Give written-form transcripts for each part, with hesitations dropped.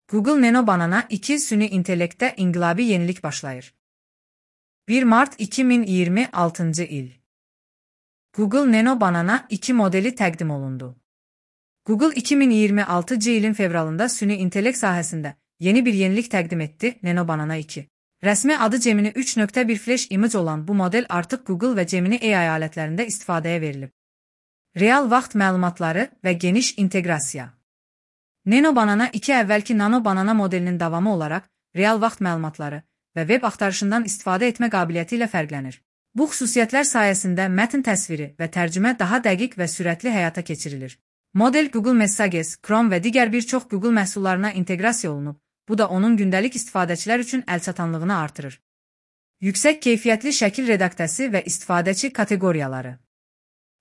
Google Nano Banana 2 süni intellektdə inqilabi yenilik başlayır. 1 Mart 2026 il. Google Nano Banana 2 modeli təqdim olundu. Google 2026 ilin fevralında süni intellekt sahəsində yeni bir yenilik təqdim etdi, Nano Banana 2. Rəsmi adı Gemini 3.1 Flash Image olan bu model artıq Google və Gemini AI alətlərində istifadəyə verilib. Real vaxt məlumatları və geniş inteqrasiya. Nano Banana 2 əvvəlki Nano Banana modelinin davamı olaraq real vaxt məlumatları və web axtarışından istifadə etmə qabiliyyəti ilə fərqlənir. Bu xüsusiyyətlər sayəsində mətn təsviri və tərcümə daha dəqiq və sürətli həyata keçirilir. Model Google Messages, Chrome və digər bir çox Google məhsullarına inteqrasiya olunub. Bu da onun gündəlik istifadəçilər üçün əlçatanlığını artırır. Yüksək keyfiyyətli şəkil redaktəsi və istifadəçi kateqoriyaları.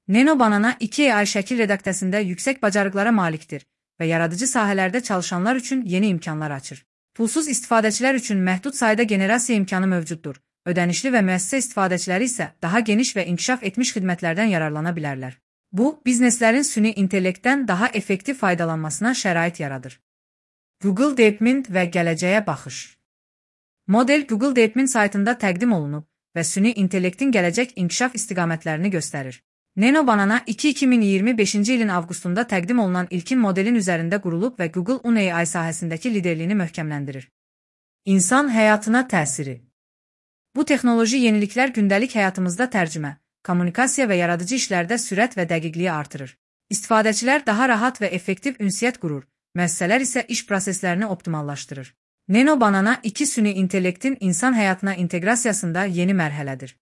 Nano Banana 2 AI şəkil redaktəsində yüksək bacarıqlara malikdir və yaradıcı sahələrdə çalışanlar üçün yeni imkanlar açır. Pulsuz istifadəçilər üçün məhdud sayda generasiya imkanı mövcuddur. Ödənişli və müəssisə istifadəçiləri isə daha geniş və inkişaf etmiş xidmətlərdən yararlana bilərlər. Bu, bizneslərin süni intellektdən daha effektiv faydalanmasına şərait yaradır. Google DeepMind və gələcəyə baxış. Model Google DeepMind saytında təqdim olunub və süni intellektin gələcək inkişaf istiqamətlərini göstərir. Nano Banana 2 2025 ilin avqustunda təqdim olunan ilkin modelin üzərində qurulub və Google AI sahəsindəki liderliyini möhkəmləndirir. İnsan həyatına təsiri. Bu texnoloji yeniliklər gündəlik həyatımızda tərcümə, kommunikasiya və yaradıcı işlərdə sürət və dəqiqliyi artırır. İstifadəçilər daha rahat və effektiv ünsiyyət qurur, müəssisələr isə iş proseslərini optimallaşdırır. Nano Banana 2 süni intellektin insan həyatına inteqrasiyasında yeni mərhələdir.